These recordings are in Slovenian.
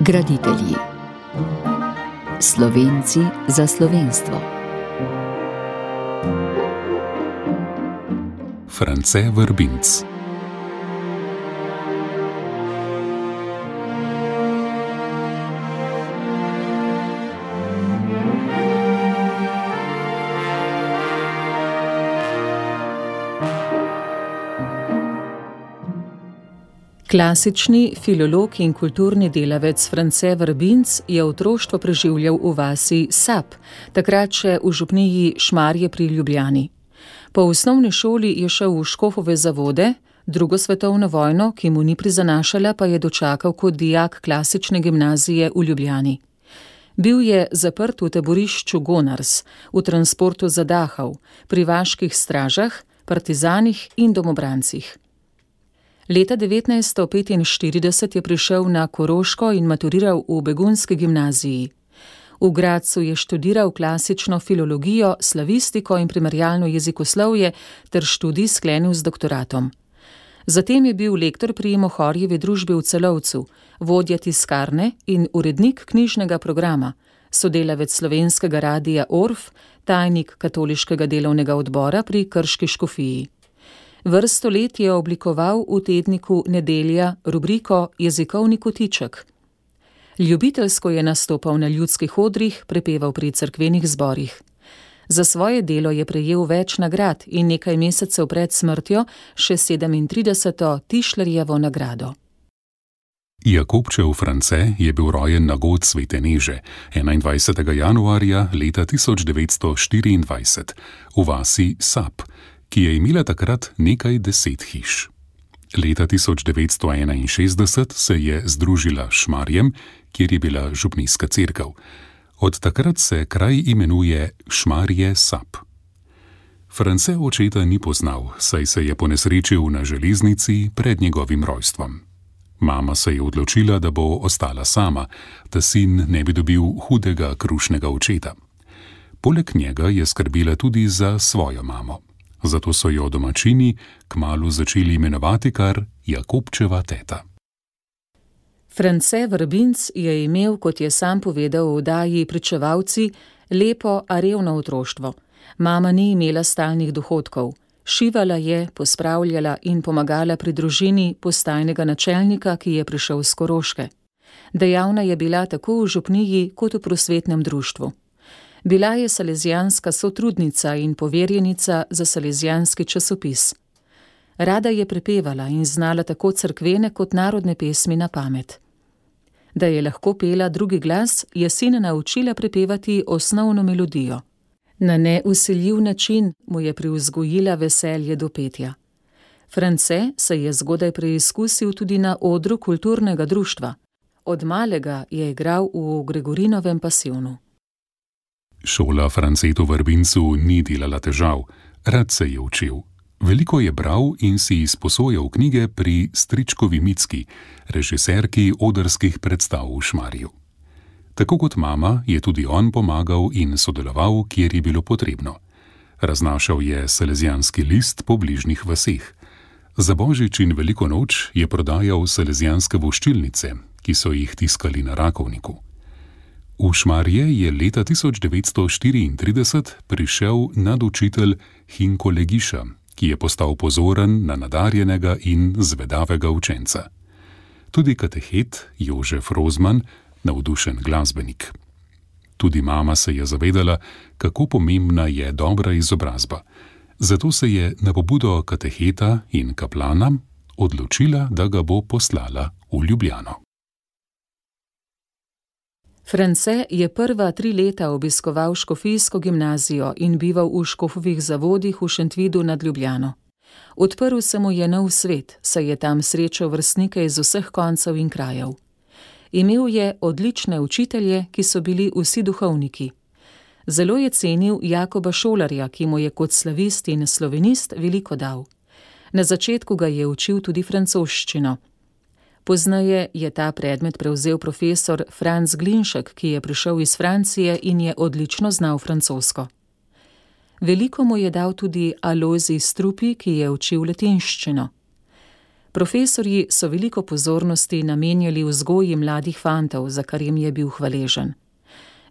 Graditelji. Slovenci za slovenstvo. France Verbinc. Klasični filolog in kulturni delavec France Verbinc je otroštvo preživljal v vasi Sap, takrat še v župniji Šmarje pri Ljubljani. Po osnovni šoli je šel v Škofove Zavode, drugo svetovno vojno, ki mu ni prizanašala, pa je dočakal kot dijak klasične gimnazije v Ljubljani. Bil je zaprt v taborišču Gonars, v transportu za Dachau, pri vaških stražah, partizanih in domobrancih. Leta 1945 je prišel na Koroško in maturiral v begunski gimnaziji. V Gradcu je študiral klasično filologijo, slavistiko in primerjalno jezikoslovje ter študij sklenil z doktoratom. Zatem je bil lektor pri Mohorjevi družbi v Celovcu, vodja tiskarne in urednik knjižnega programa, sodelavec slovenskega radia Orf, tajnik katoliškega delovnega odbora pri Krški škofiji. Vrsto let je oblikoval v tedniku Nedelja rubriko Jezikovni kotiček. Ljubiteljsko je nastopal na ljudskih odrih, prepeval pri cerkvenih zborih. Za svoje delo je prejel več nagrad in nekaj mesecev pred smrtjo še 37. Tišlerjevo nagrado. Jakobčev France je bil rojen na god Svete Neže 21. januarja leta 1924 v vasi Sap, ki je imela takrat nekaj 10 hiš. Leta 1961 se je združila s Šmarjem, kjer je bila župnijska cerkev. Od takrat se kraj imenuje Šmarje Sap. France očeta ni poznal, saj se je ponesrečil na železnici pred njegovim rojstvom. Mama se je odločila, da bo ostala sama, da sin ne bi dobil hudega krušnega očeta. Poleg njega je skrbela tudi za svojo mamo. Zato so jo domačini kmalu začeli imenovati kar Jakobčeva teta. France Verbinc je imel, kot je sam povedal v oddaji Pričevalci, lepo, a revno otroštvo. Mama ni imela stalnih dohodkov. Šivala je, pospravljala in pomagala pri družini postajnega načelnika, ki je prišel s Koroške. Dejavna je bila tako v župniji kot v prosvetnem društvu. Bila je salezijanska sotrudnica in poverjenica za salezijanski časopis. Rada je prepevala in znala tako cerkvene kot narodne pesmi na pamet. Da je lahko pela drugi glas, je sina naučila prepevati osnovno melodijo. Na neusiljiv način mu je privzgojila veselje do petja. France se je zgodaj preizkusil tudi na odru kulturnega društva. Od malega je igral v Gregorinovem pasijonu. Šola Francetu Verbincu ni delala težav, rad se je učil. Veliko je bral in si izposojal knjige pri stričkovi Micki, režiserki odrskih predstav v Šmarju. Tako kot mama je tudi on pomagal in sodeloval, kjer je bilo potrebno. Raznašal je salezijanski list po bližnjih vaseh. Za Božič in Veliko noč je prodajal salezijanske voščilnice, ki so jih tiskali na Rakovniku. V Šmarje je leta 1934 prišel nadučitelj Hinko Legiša, ki je postal pozoren na nadarjenega in zvedavega učenca. Tudi katehet Jožef Rozman, navdušen glasbenik. Tudi mama se je zavedala, kako pomembna je dobra izobrazba. Zato se je na pobudo kateheta in kaplana odločila, da ga bo poslala v Ljubljano. France je prva 3 leta obiskoval škofijsko gimnazijo in bival v Škofovih Zavodih v Šentvidu nad Ljubljano. Odprl se mu je nov svet, saj je tam srečal vrstnike iz vseh koncev in krajev. Imel je odlične učitelje, ki so bili vsi duhovniki. Zelo je cenil Jakoba Šolarja, ki mu je kot slavist in slovenist veliko dal. Na začetku ga je učil tudi francoščino. Pozneje je ta predmet prevzel profesor Franz Glinšek, ki je prišel iz Francije in je odlično znal francosko. Veliko mu je dal tudi Alojzij Strupi, ki je učil latinščino. Profesorji so veliko pozornosti namenjali vzgoji mladih fantov, za kar jim je bil hvaležen.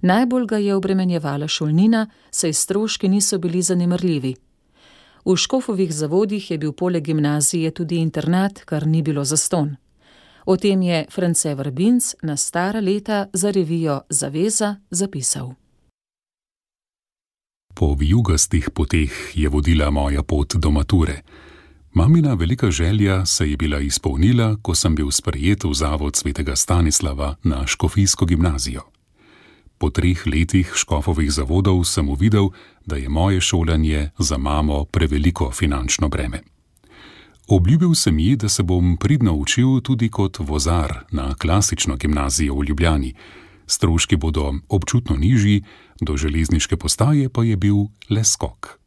Najbolj ga je obremenjevala šolnina, saj stroški niso bili zanemarljivi. V Škofovih Zavodih je bil poleg gimnazije tudi internat, kar ni bilo zastonj. O tem je France Vrbinc na stara leta za revijo Zaveza zapisal. Po vijugastih poteh je vodila moja pot do mature. Mamina velika želja se je bila izpolnila, ko sem bil sprejet v Zavod svetega Stanislava na Škofijsko gimnazijo. Po 3 letih Škofovih Zavodov sem uvidel, da je moje šolanje za mamo preveliko finančno breme. Obljubil sem ji, da se bom pridno učil tudi kot vozar na klasično gimnazijo v Ljubljani. Stroški bodo občutno nižji, do železniške postaje pa je bil le skok.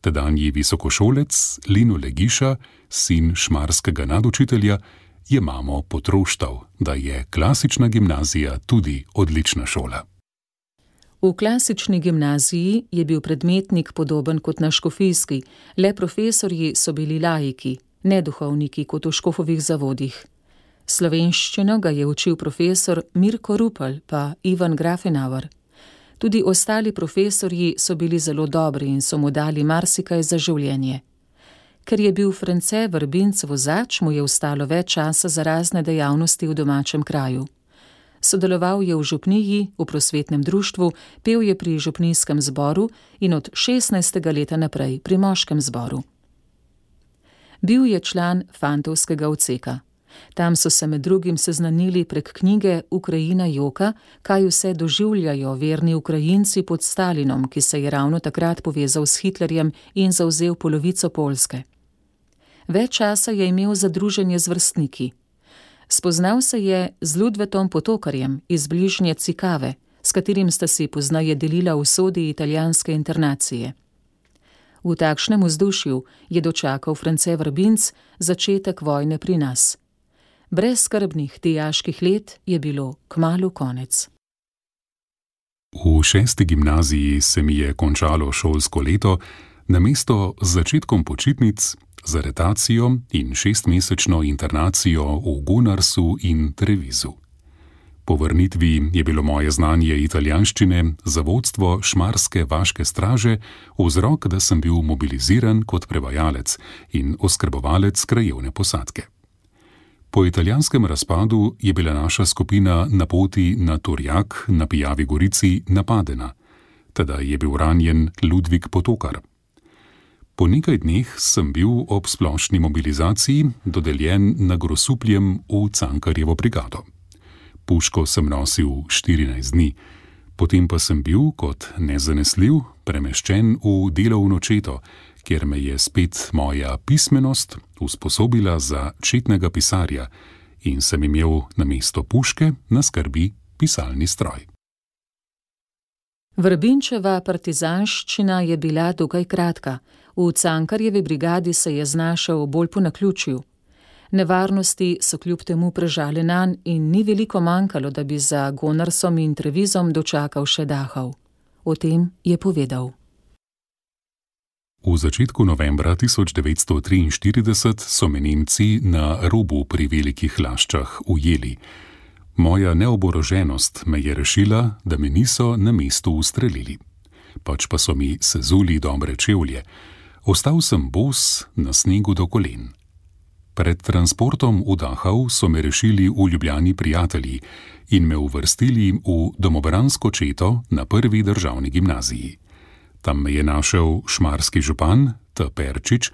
Tedanji visokošolec Lino Legiša, sin šmarskega nadučitelja, je mamo potroštal, da je klasična gimnazija tudi odlična šola. V klasični gimnaziji je bil predmetnik podoben kot na škofijski, le profesorji so bili laiki, ne duhovniki kot v Škofovih Zavodih. Slovenščino ga je učil profesor Mirko Rupel pa Ivan Grafenauer. Tudi ostali profesorji so bili zelo dobri in so mu dali marsikaj za življenje. Ker je bil France Vrbinc vozač, mu je ostalo več časa za razne dejavnosti v domačem kraju. Sodeloval je v župniji, v prosvetnem društvu, pel je pri župnijskem zboru in od 16. leta naprej pri moškem zboru. Bil je član fantovskega odseka. Tam so se med drugim seznanili prek knjige Ukrajina joka, kaj vse doživljajo verni Ukrajinci pod Stalinom, ki se je ravno takrat povezal s Hitlerjem in zavzel polovico Poljske. Več časa je imel za druženje z vrstniki. Spoznal se je z Ludvetom Potokarjem iz bližnje Cikave, s katerim sta si pozneje delila usodi italijanske internacije. V takšnem vzdušju je dočakal France Vrbinc začetek vojne pri nas. Brez skrbnih dijaških let je bilo kmalu konec. V 6. gimnaziji se mi je končalo šolsko leto, namesto z začetkom počitnic, z aretacijo in 6-mesečno internacijo v Gunarsu in Trevizu. Po vrnitvi je bilo moje znanje italijanščine za vodstvo šmarske vaške straže vzrok, da sem bil mobiliziran kot prevajalec in oskrbovalec krajevne posadke. Po italijanskem razpadu je bila naša skupina na poti na Turjak na Pijavi Gorici napadena, teda je bil ranjen Ludvik Potokar. Po nekaj dneh sem bil ob splošni mobilizaciji dodeljen na Grosupljem v Cankarjevo brigado. Puško sem nosil 14 dni, potem pa sem bil kot nezanesljiv premeščen v delovno četo, kjer me je spet moja pismenost usposobila za četnega pisarja in sem imel namesto puške na skrbi pisalni stroj. Vrbinčeva partizanščina je bila dokaj kratka. V Cankarjevi brigadi se je znašel bolj po naključju. Nevarnosti so kljub temu prežale nanj in ni veliko manjkalo, da bi za Gonarsom in Trevizom dočakal še Dachau. O tem je povedal. V začetku novembra 1943 so me Nemci na Robu pri Velikih Laščah ujeli. Moja neoboroženost me je rešila, da me niso na mestu ustrelili. Pač pa so mi sezuli dobre čevlje. Ostal sem bos na snegu do kolen. Pred transportom v Dachau so me rešili v Ljubljani prijatelji in me uvrstili v domobransko četo na prvi državni gimnaziji. Tam me je našel šmarski župan T. Perčič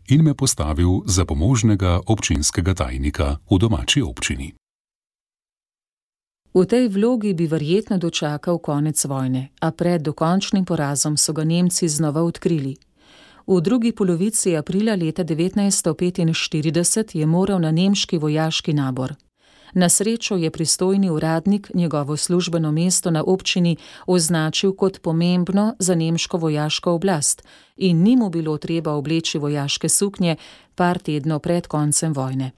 in me postavil za pomožnega občinskega tajnika v domači občini. V tej vlogi bi verjetno dočakal konec vojne, a pred dokončnim porazom so ga Nemci znova odkrili. V drugi polovici aprila leta 1945 je moral na nemški vojaški nabor. Na srečo je pristojni uradnik njegovo službeno mesto na občini označil kot pomembno za nemško vojaško oblast in ni mu bilo treba obleči vojaške suknje par tednov pred koncem vojne.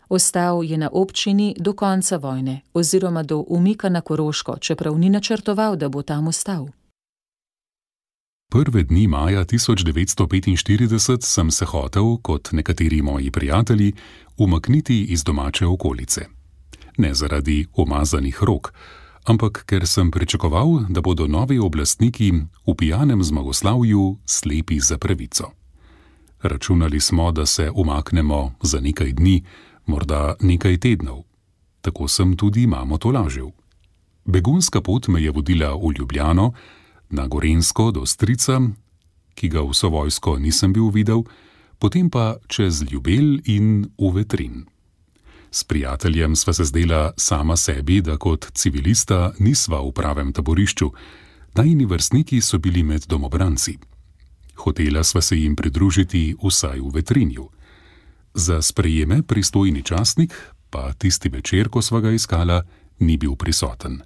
Ostal je na občini do konca vojne oziroma do umika na Koroško, čeprav ni načrtoval, da bo tam ostal. Prve dni maja 1945 sem se hotel, kot nekateri moji prijatelji, umakniti iz domače okolice. Ne zaradi umazanih rok, ampak ker sem pričakoval, da bodo novi oblastniki v pijanem zmagoslavju slepi za pravico. Računali smo, da se umaknemo za nekaj dni, morda nekaj tednov. Tako sem tudi mamo tolažil. Begunska pot me je vodila v Ljubljano, na Gorenjsko do strica, ki ga vso vojsko nisem bil videl, potem pa čez Ljubelj in v Vetrin. S prijateljem sva se zdela sama sebi, da kot civilista nisva v pravem taborišču, najini vrstniki so bili med domobranci. Hotela sva se jim pridružiti vsaj v Vetrinju. Za sprejeme pristojni častnik, pa tisti večer, ko sva ga iskala, ni bil prisoten.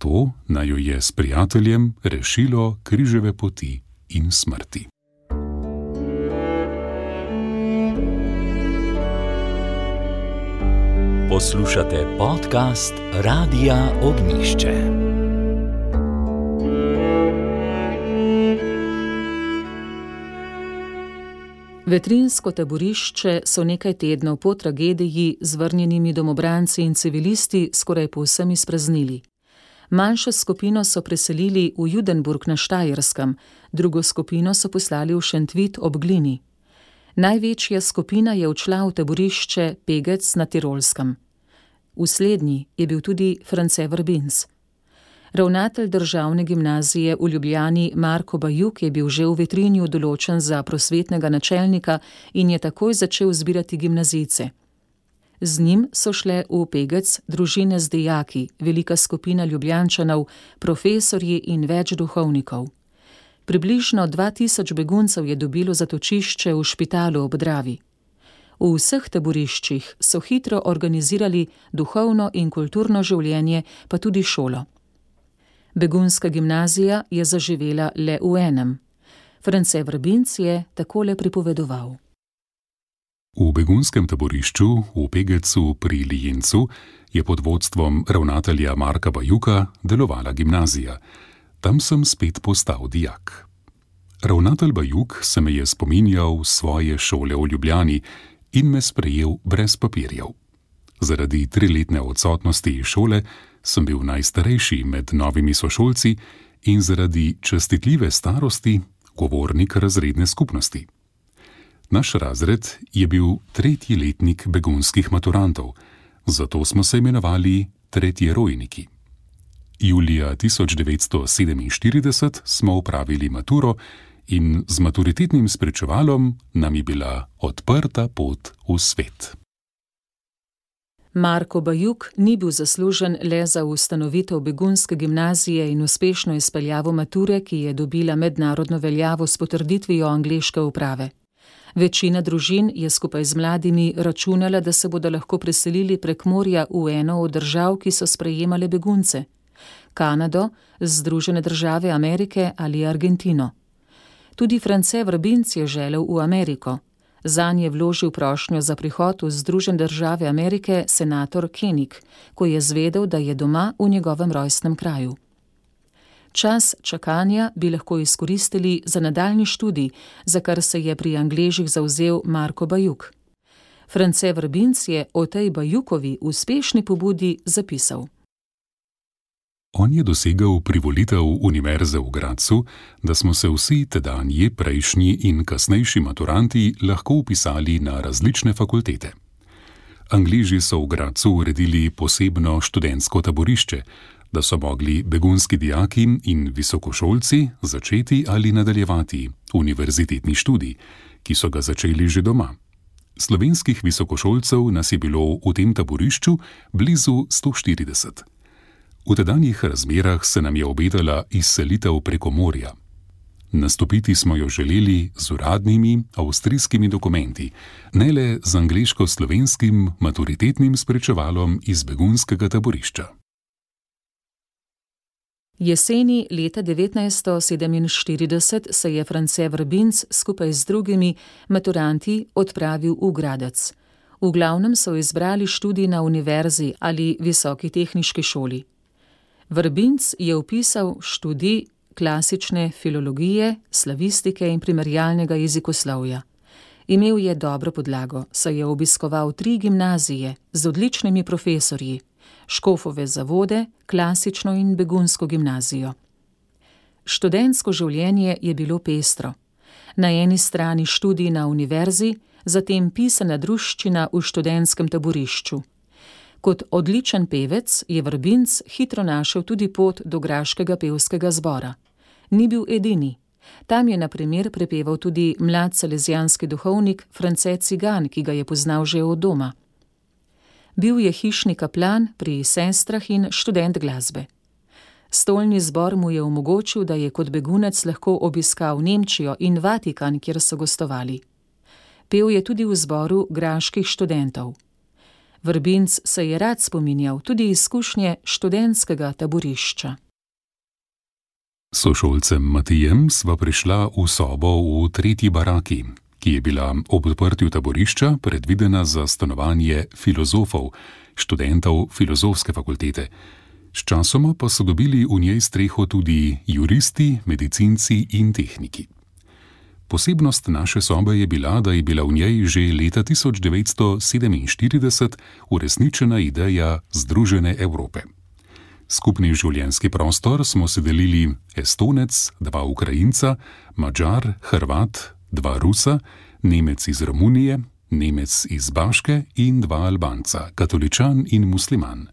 To naj jo je s prijateljem rešilo križeve poti in smrti. Poslušate podcast Radia Ognjišče. Vetrinsko taborišče so nekaj tednov po tragediji z vrnjenimi domobranci in civilisti skoraj povsem izpraznili. Manjšo skupino so preselili v Judenburg na Štajerskem, drugo skupino so poslali v Šentvit ob Glini. Največja skupina je odšla v taborišče Pegec na Tirolskem. V slednji je bil tudi France Verbinz. Ravnatelj državne gimnazije v Ljubljani Marko Bajuk je bil že v Vetrinju določen za prosvetnega načelnika in je takoj začel zbirati gimnazijce. Z njim so šle v Pegec družine z dijaki, velika skupina Ljubljančanov, profesorji in več duhovnikov. Približno 2000 beguncev je dobilo zatočišče v Špitalu ob Dravi. V vseh taboriščih so hitro organizirali duhovno in kulturno življenje, pa tudi šolo. Begunska gimnazija je zaživela le v enem. France Verbinz je takole pripovedoval. V begunskem taborišču v Pegecu pri Lijencu je pod vodstvom ravnatelja Marka Bajuka delovala gimnazija. Tam sem spet postal dijak. Ravnatelj Bajuk se me je spominjal svoje šole v Ljubljani in me sprejel brez papirjev. Zaradi 3-letne odsotnosti iz šole sem bil najstarejši med novimi sošolci in zaradi častitljive starosti govornik razredne skupnosti. Naš razred je bil 3. letnik begunskih maturantov, zato smo se imenovali tretjerojniki. Julija 1947 smo opravili maturo in z maturitetnim spričevalom nam je bila odprta pot v svet. Marko Bajuk ni bil zaslužen le za ustanovitev begunske gimnazije in uspešno izpeljavo mature, ki je dobila mednarodno veljavo s potrditvijo angleške uprave. Večina družin je skupaj z mladimi računala, da se bodo lahko preselili prek morja v eno od držav, ki so sprejemale begunce. Kanado, Združene države Amerike ali Argentino. Tudi France Verbinz je želel v Ameriko. Zanj je vložil prošnjo za prihod v Združene države Amerike senator Koenig, ko je zvedel, da je doma v njegovem rojstnem kraju. Čas čakanja bi lahko izkoristili za nadaljnji študij, za kar se je pri Angležih zavzel Marko Bajuk. France Verbinz je o tej Bajukovi uspešni pobudi zapisal. On je dosegel privolitev Univerze v Gradcu, da smo se vsi tedanji, prejšnji in kasnejši maturanti lahko vpisali na različne fakultete. Angleži so v Gradcu uredili posebno študentsko taborišče, da so mogli begunski dijaki in visokošolci začeti ali nadaljevati univerzitetni študij, ki so ga začeli že doma. Slovenskih visokošolcev nas je bilo v tem taborišču blizu 140. V tedanjih razmerah se nam je obetala izselitev preko morja. Nastopiti smo jo želeli z uradnimi avstrijskimi dokumenti, ne le z angleško-slovenskim maturitetnim spričevalom iz begunskega taborišča. Jeseni leta 1947 se je France Verbinz skupaj z drugimi maturanti odpravil v Gradec. V glavnem so izbrali študij na univerzi ali visoki tehniški šoli. Verbinz je vpisal študij klasične filologije, slavistike in primerjalnega jezikoslovja. Imel je dobro podlago, saj je obiskoval 3 gimnazije z odličnimi profesorji, Škofove zavode, klasično in begunsko gimnazijo. Študentsko življenje je bilo pestro. Na eni strani študij na univerzi, zatem pisana druščina v študentskem taborišču. Kot odličen pevec je Vrbinc hitro našel tudi pot do graškega pevskega zbora. Ni bil edini. Tam je na primer prepeval tudi mlad salezijanski duhovnik France Cigan, ki ga je poznal že od doma. Bil je hišni kaplan pri sestrah in študent glasbe. Stolni zbor mu je omogočil, da je kot begunec lahko obiskal Nemčijo in Vatikan, kjer so gostovali. Pel je tudi v zboru graških študentov. Vrbinc se je rad spominjal tudi izkušnje študentskega taborišča. Sošolcem Matijem sva prišla v sobo v 3. baraki, ki je bila ob odprtju taborišča predvidena za stanovanje filozofov, študentov filozofske fakultete. Sčasoma pa so dobili v njej streho tudi juristi, medicinci in tehniki. Posebnost naše sobe je bila, da je bila v njej že leta 1947 uresničena ideja Združene Evrope. Skupni življenjski prostor smo si delili Estonec, 2 Ukrajinca, Madžar, Hrvat, 2 Rusa, Nemec iz Romunije, Nemec iz Baške in 2 Albanca, katoličan in musliman.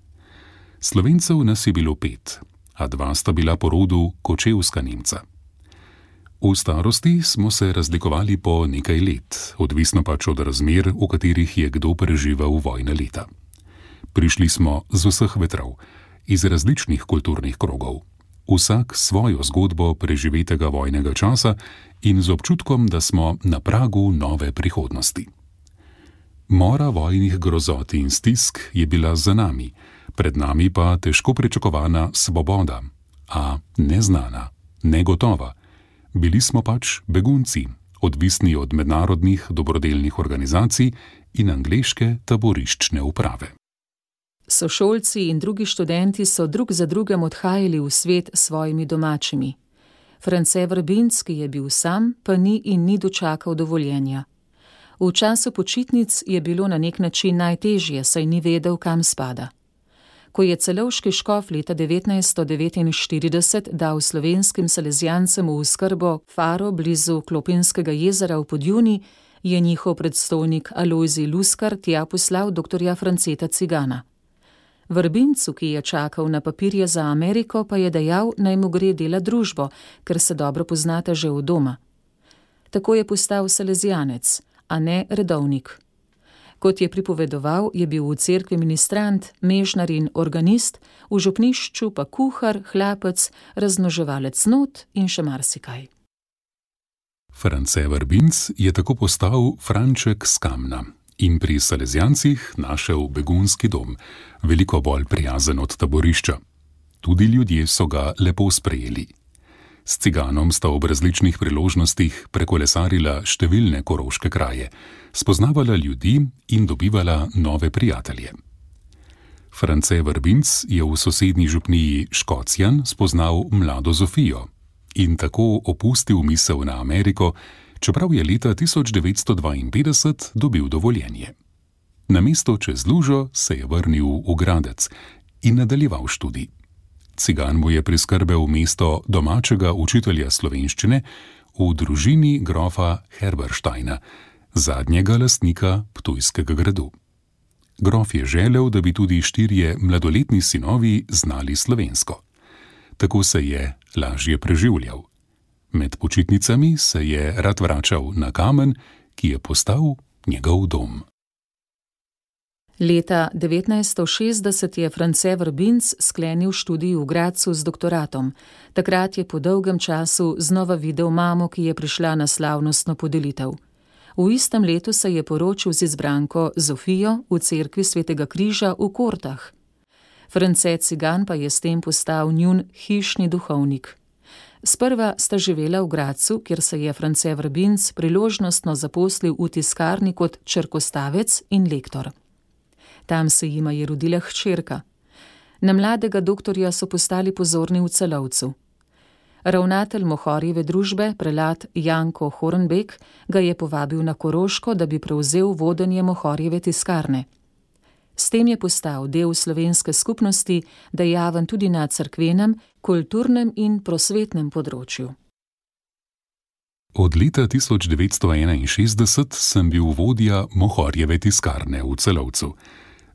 Slovencev nas je bilo 5, a 2 sta bila po rodu kočevska Nemca. V starosti smo se razlikovali po nekaj let, odvisno pač od razmer, v katerih je kdo preživel vojna leta. Prišli smo z vseh vetrov, iz različnih kulturnih krogov, vsak svojo zgodbo preživetega vojnega časa in z občutkom, da smo na pragu nove prihodnosti. Mora vojnih grozot in stisk je bila za nami, pred nami pa težko pričakovana svoboda, a neznana, negotova. Bili smo pač begunci, odvisni od mednarodnih dobrodelnih organizacij in angleške taboriščne uprave. Sošolci in drugi študenti so drug za drugim odhajali v svet s svojimi domačimi. France Vrbinc, ki je bil sam, pa ni in ni dočakal dovoljenja. V času počitnic je bilo na nek način najtežje, saj ni vedel, kam spada. Ko je celovški škof leta 1949 dal slovenskim salezijancem v skrbo faro blizu Klopinskega jezera v Podjuni, je njihov predstojnik Alojzij Luskar tja poslal dr. Franceta Cigana. Vrbincu, ki je čakal na papirje za Ameriko, pa je dejal, naj mu gre delat družbo, ker se dobro poznata že od doma. Tako je postal salezijanec, a ne redovnik. Kot je pripovedoval, je bil v cerkvi ministrant, mežnar in organist, v župnišču pa kuhar, hlapec, razmnoževalec not in še marsikaj. France Vrbinc je tako postal Franček z Kamna in pri salezijancih našel begunski dom, veliko bolj prijazen od taborišča. Tudi ljudje so ga lepo sprejeli. S Ciganom sta ob različnih priložnostih prekolesarila številne koroške kraje, spoznavala ljudi in dobivala nove prijatelje. France Vrbinc je v sosednji župniji Škocjan spoznal mlado Zofijo in tako opustil misel na Ameriko, čeprav je leta 1952 dobil dovoljenje. Namesto čez lužo se je vrnil v Gradec in nadaljeval študij. Cigan mu je priskrbel mesto domačega učitelja slovenščine v družini grofa Herbersteina, zadnjega lastnika Ptujskega gradu. Grof je želel, da bi tudi 4 mladoletni sinovi znali slovensko. Tako se je lažje preživljal. Med počitnicami se je rad vračal na Kamen, ki je postal njegov dom. Leta 1960 je France Vrbinc sklenil študij v Gradcu z doktoratom. Takrat je po dolgem času znova videl mamo, ki je prišla na slavnostno podelitev. V istem letu se je poročil z izbranko Zofijo v cerkvi Svetega križa v Kortah. France Cigan pa je s tem postal njun hišni duhovnik. Sprva sta živela v Gradcu, kjer se je France Vrbinc priložnostno zaposlil v tiskarni kot črkostavec in lektor. Tam se jima je rodila hčerka. Na mladega doktorja so postali pozorni v Celovcu. Ravnatelj Mohorjeve družbe, prelat Janko Hornbek, ga je povabil na Koroško, da bi prevzel vodenje Mohorjeve tiskarne. S tem je postal del slovenske skupnosti, dejaven tudi na cerkvenem, kulturnem in prosvetnem področju. Od leta 1961 sem bil vodja Mohorjeve tiskarne v Celovcu.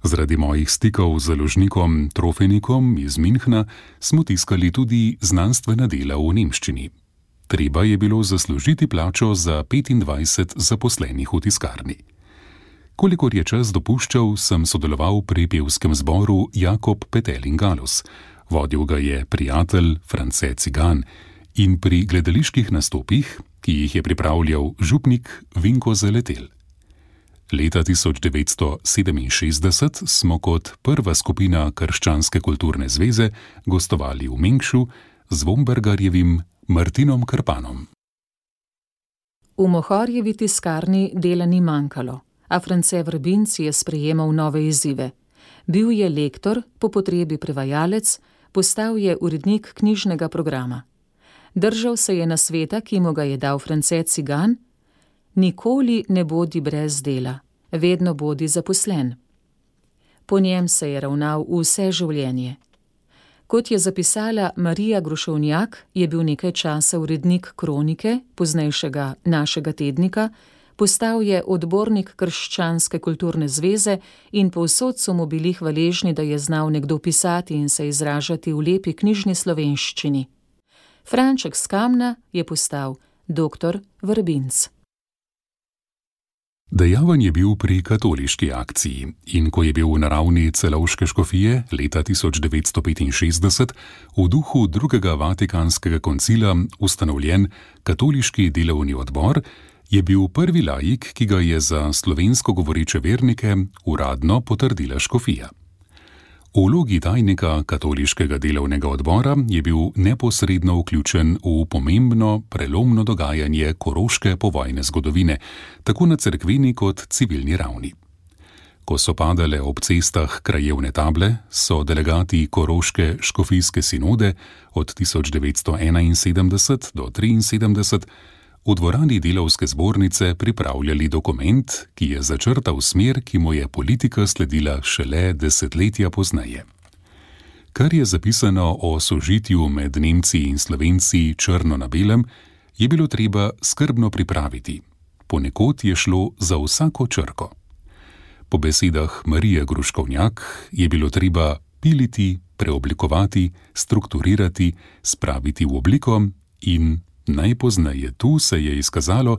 Zaradi mojih stikov z založnikom Trofenikom iz Münchna smo tiskali tudi znanstvena dela v nemščini. Treba je bilo zaslužiti plačo za 25 zaposlenih v tiskarni. Kolikor je čas dopuščal, sem sodeloval pri pevskem zboru Jakob Petelin Galus. Vodil ga je prijatelj France Cigan in pri gledaliških nastopih, ki jih je pripravljal župnik Vinko Zaletel. Leta 1967 smo kot prva skupina Krščanske kulturne zveze gostovali v Mengšu z Vombergarjevim Martinom Krpanom. V Mohorjevi tiskarni dela ni manjkalo, a France Vrbinc je sprejemal nove izzive. Bil je lektor, po potrebi prevajalec, postal je urednik knjižnega programa. Držal se je nasveta, ki mu ga je dal France Cigan: nikoli ne bodi brez dela, vedno bodi zaposlen. Po njem se je ravnal vse življenje. Kot je zapisala Marija Grušovnjak, je bil nekaj časa urednik Kronike, poznejšega Našega tednika, postal je odbornik Krščanske kulturne zveze in povsod so mu bili hvaležni, da je znal nekdo pisati in se izražati v lepi knjižni slovenščini. Franček s Kamna je postal doktor Vrbinc. Dejaven je bil pri katoliški akciji in ko je bil na ravni Celovške škofije leta 1965 v duhu drugega Vatikanskega koncila ustanovljen katoliški delovni odbor, je bil prvi laik, ki ga je za slovensko govoreče vernike uradno potrdila škofija. V vlogi tajnika katoliškega delovnega odbora je bil neposredno vključen v pomembno, prelomno dogajanje koroške povojne zgodovine, tako na cerkveni kot civilni ravni. Ko so padale ob cestah krajevne table, so delegati koroške škofijske sinode od 1971 do 1973 v dvorani delavske zbornice pripravljali dokument, ki je začrtal smer, ki mu je politika sledila šele desetletja pozneje. Kar je zapisano o sožitju med Nemci in Slovenci črno na belem, je bilo treba skrbno pripraviti. Ponekod je šlo za vsako črko. Po besedah Marije Gruškovnjak je bilo treba piliti, preoblikovati, strukturirati, spraviti v obliko in najpozneje tu se je izkazalo,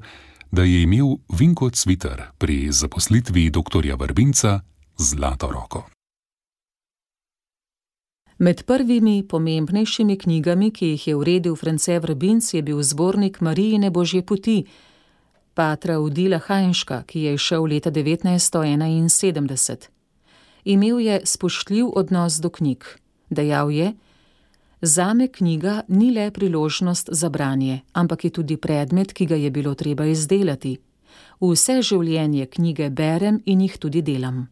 da je imel Vinko Cvitar pri zaposlitvi doktorja Vrbinca zlato roko. Med prvimi pomembnejšimi knjigami, ki jih je uredil France Vrbinc, je bil zbornik Marijine Božje poti, patra Odila Hajnška, ki je izšel leta 1971. Imel je spoštljiv odnos do knjig. Dejal je: zame knjiga ni le priložnost za branje, ampak je tudi predmet, ki ga je bilo treba izdelati. Vse življenje knjige berem in jih tudi delam.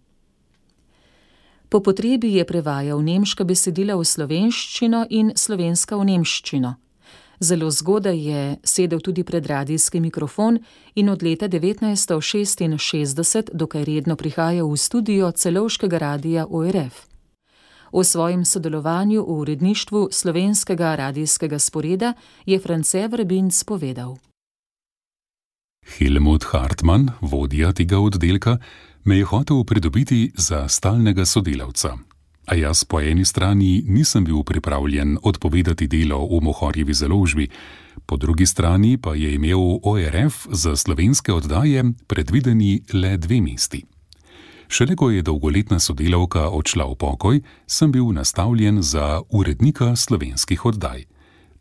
Po potrebi je prevajal nemška besedila v slovenščino in slovenska v nemščino. Zelo zgodaj je sedel tudi pred radijski mikrofon in od leta 1966 dokaj redno prihajal v studio Celovškega radija ORF. O svojem sodelovanju v uredništvu slovenskega radijskega sporeda je France Vrbinc povedal: Helmut Hartmann, vodja tega oddelka, me je hotel pridobiti za stalnega sodelavca. A jaz po eni strani nisem bil pripravljen odpovedati delo v Mohorjevi založbi, po drugi strani pa je imel ORF za slovenske oddaje predvideni le 2 mesti. Šele ko je dolgoletna sodelavka odšla v pokoj, sem bil nastavljen za urednika slovenskih oddaj.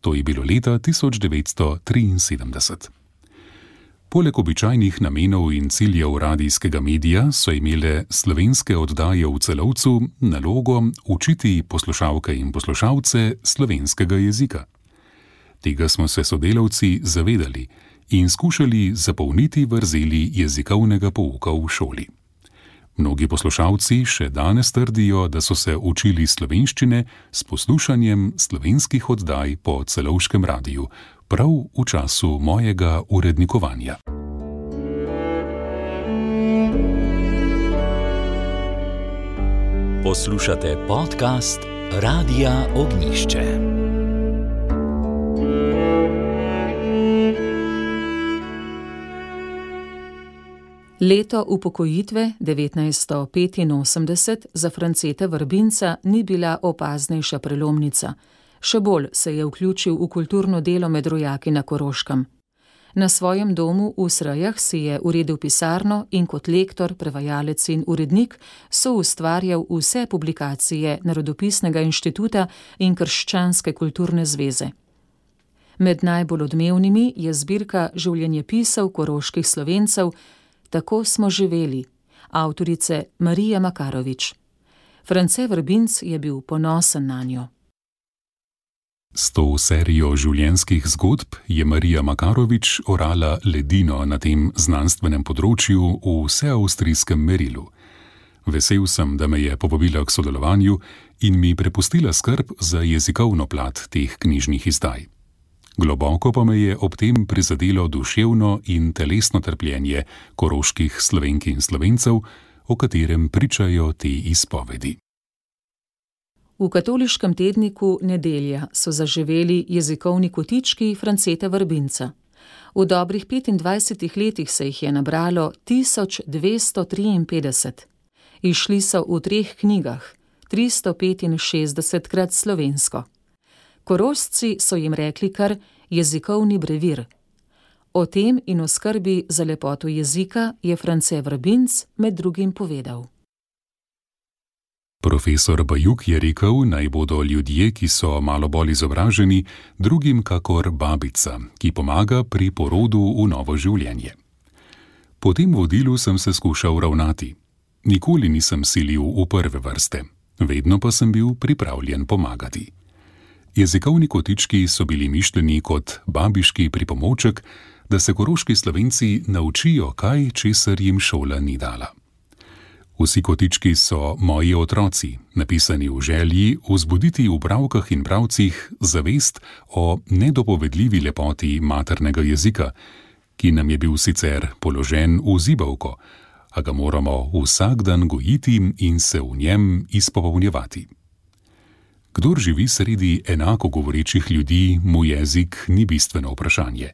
To je bilo leta 1973. Poleg običajnih namenov in ciljev radijskega medija so imele slovenske oddaje v Celovcu nalogo učiti poslušalke in poslušalce slovenskega jezika. Tega smo se sodelavci zavedali in skušali zapolniti vrzeli jezikovnega pouka v šoli. Mnogi poslušalci še danes trdijo, da so se učili slovenščine s poslušanjem slovenskih oddaj po Celovškem radiju, prav v času mojega urednikovanja. Poslušate podcast Radia Ognišče. Leto upokojitve 1985 za Franceta Vrbinca ni bila opaznejša prelomnica. Še bolj se je vključil v kulturno delo med rojaki na Koroškem. Na svojem domu v Srejah si je uredil pisarno in kot lektor, prevajalec in urednik soustvarjal vse publikacije Narodopisnega inštituta in Krščanske kulturne zveze. Med najbolj odmevnimi je zbirka življenjepisov koroških Slovencev Tako smo živeli, avtorice Marije Makarovič. France Vrbinc je bil ponosen nanjo. S to serijo življenjskih zgodb je Marija Makarovič orala ledino na tem znanstvenem področju v vseavstrijskem merilu. Vesel sem, da me je povabila k sodelovanju in mi prepustila skrb za jezikovno plat teh knjižnih izdaj. Globoko pa me je ob tem prizadelo duševno in telesno trpljenje koroških Slovenk in Slovencev, o katerem pričajo te izpovedi. V katoliškem tedniku Nedelja so zaživeli jezikovni kotički Franceta Vrbinca. V dobrih 25 letih se jih je nabralo 1253. Izšli so v 3 knjigah, 365krat slovensko. Korošci so jim rekli kar jezikovni brevir. O tem in o skrbi za lepoto jezika je France Vrbinc med drugim povedal. Profesor Bajuk je rekel, naj bodo ljudje, ki so malo bolj izobraženi, drugim kakor babica, ki pomaga pri porodu v novo življenje. Po tem vodilu sem se skušal ravnati. Nikoli nisem silil v prve vrste, vedno pa sem bil pripravljen pomagati. Jezikovni kotički so bili mišljeni kot babiški pripomoček, da se koroški Slovenci naučijo kaj, česar jim šola ni dala. Vsi kotički so moji otroci, napisani v želji vzbuditi v bralkah in bralcih zavest o nedopovedljivi lepoti maternega jezika, ki nam je bil sicer položen v zibelko, a ga moramo vsak dan gojiti in se v njem izpopolnjevati. Kdor živi sredi enako govorečih ljudi, mu jezik ni bistveno vprašanje.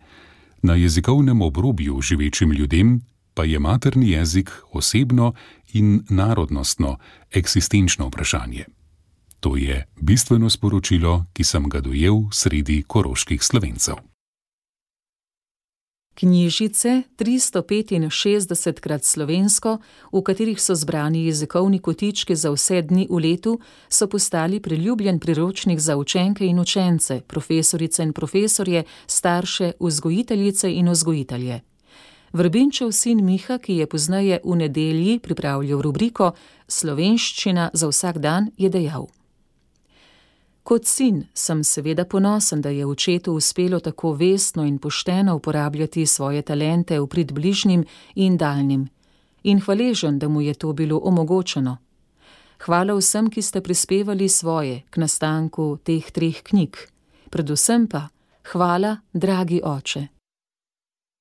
Na jezikovnem obrobju živečim ljudem pa je materni jezik osebno in narodnostno eksistenčno vprašanje. To je bistveno sporočilo, ki sem ga dojel sredi koroških Slovencev. Knjižice 365krat slovensko, v katerih so zbrani jezikovni kotički za vse dni v letu, so postali priljubljen priročnik za učenke in učence, profesorice in profesorje, starše, vzgojiteljice in vzgojitelje. Vrbinčev sin Miha, ki je pozneje v Nedelji pripravljal rubriko Slovenščina za vsak dan, je dejal: Kot sin sem seveda ponosen, da je očetu uspelo tako vestno in pošteno uporabljati svoje talente v prid bližnjim in daljnim, in hvaležen, da mu je to bilo omogočeno. Hvala vsem, ki ste prispevali svoje k nastanku teh 3 knjig. Predvsem pa hvala, dragi oče.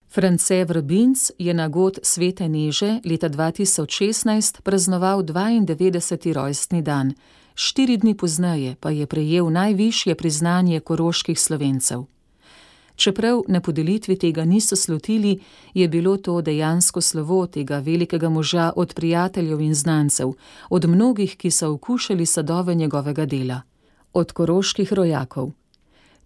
France Vrbinc je na god Svete Neže leta 2016 praznoval 92. rojstni dan, 4 dni pozneje pa je prejel najvišje priznanje koroških Slovencev. Čeprav na podelitvi tega niso slutili, je bilo to dejansko slovo tega velikega moža od prijateljev in znancev, od mnogih, ki so okušali sadove njegovega dela, od koroških rojakov.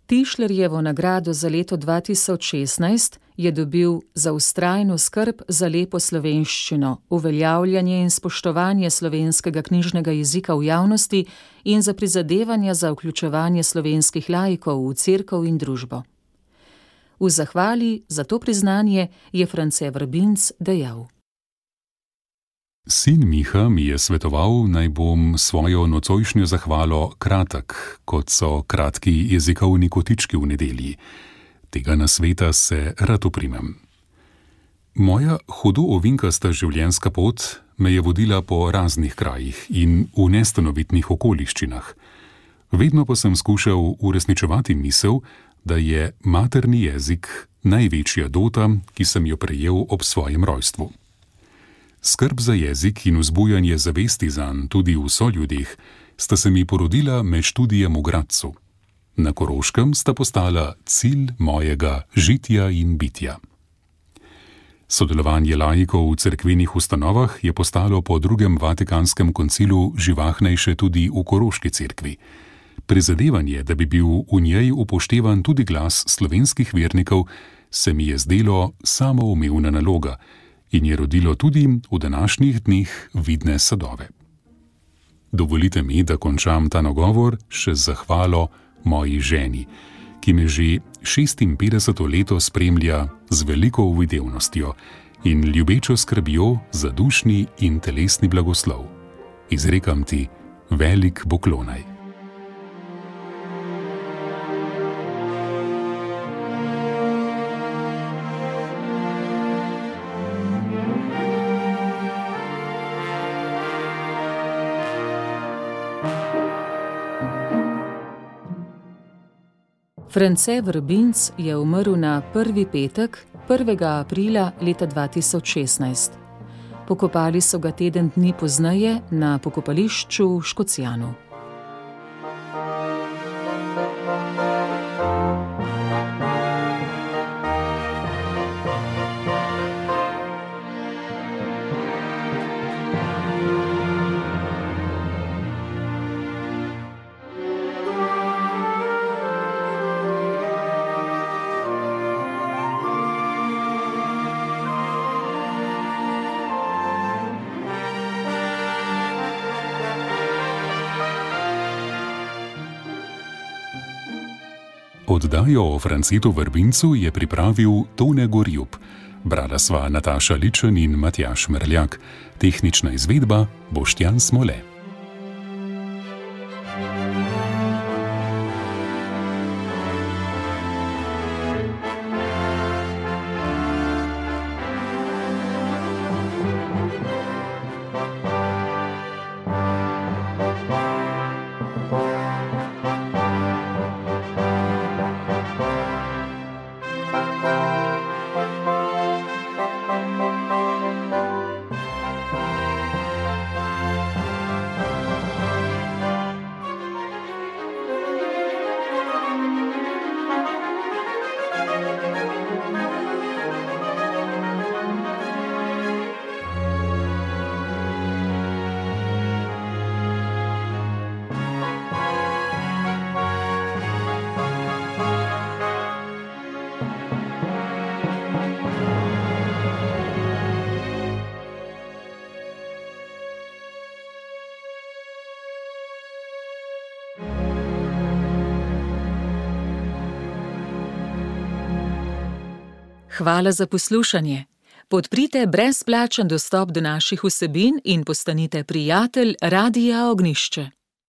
Tišlerjevo nagrado za leto 2016 je dobil za vztrajno skrb za lepo slovenščino, uveljavljanje in spoštovanje slovenskega knjižnega jezika v javnosti in za prizadevanja za vključevanje slovenskih laikov v cerkev in družbo. V zahvali za to priznanje je France Vrbinc dejal: Sin Miha mi je svetoval, naj bom svojo nocojšnjo zahvalo kratek, kot so kratki jezikovni kotički v Nedelji. Tega nasveta se rad oprimem. Moja hudo ovinkasta življenjska pot me je vodila po raznih krajih in v nestanovitnih okoliščinah. Vedno pa sem skušal uresničevati misel, da je materni jezik največja dota, ki sem jo prejel ob svojem rojstvu. Skrb za jezik in vzbujanje zavesti zanj tudi v soljudeh sta se mi porodila med študijem v Gradcu. Na Koroškem sta postala cilj mojega žitja in bitja. Sodelovanje laikov v cerkvenih ustanovah je postalo po drugem Vatikanskem koncilu živahnejše tudi v Koroški cerkvi. Prizadevanje, da bi bil v njej upoštevan tudi glas slovenskih vernikov, se mi je zdelo samoumevna naloga in je rodilo tudi v današnjih dneh vidne sadove. Dovolite mi, da končam ta nagovor še z zahvalo moji ženi, ki me že 56. leto spremlja z veliko uvidevnostjo in ljubečo skrbjo za dušni in telesni blagoslov. Izrekam ti velik poklonaj. France Vrbinc je umrl na prvi petek, 1. aprila leta 2016. Pokopali so ga teden dni pozneje na pokopališču v Škocjanu. Oddajo o Francetu Vrbincu je pripravil Tone Gorjup. Brala sva Nataša Ličen in Matjaž Merljak. Tehnična izvedba Boštjan Smole. Hvala za poslušanje. Podprite brezplačen dostop do naših vsebin in postanite prijatelj Radia Ognjišče.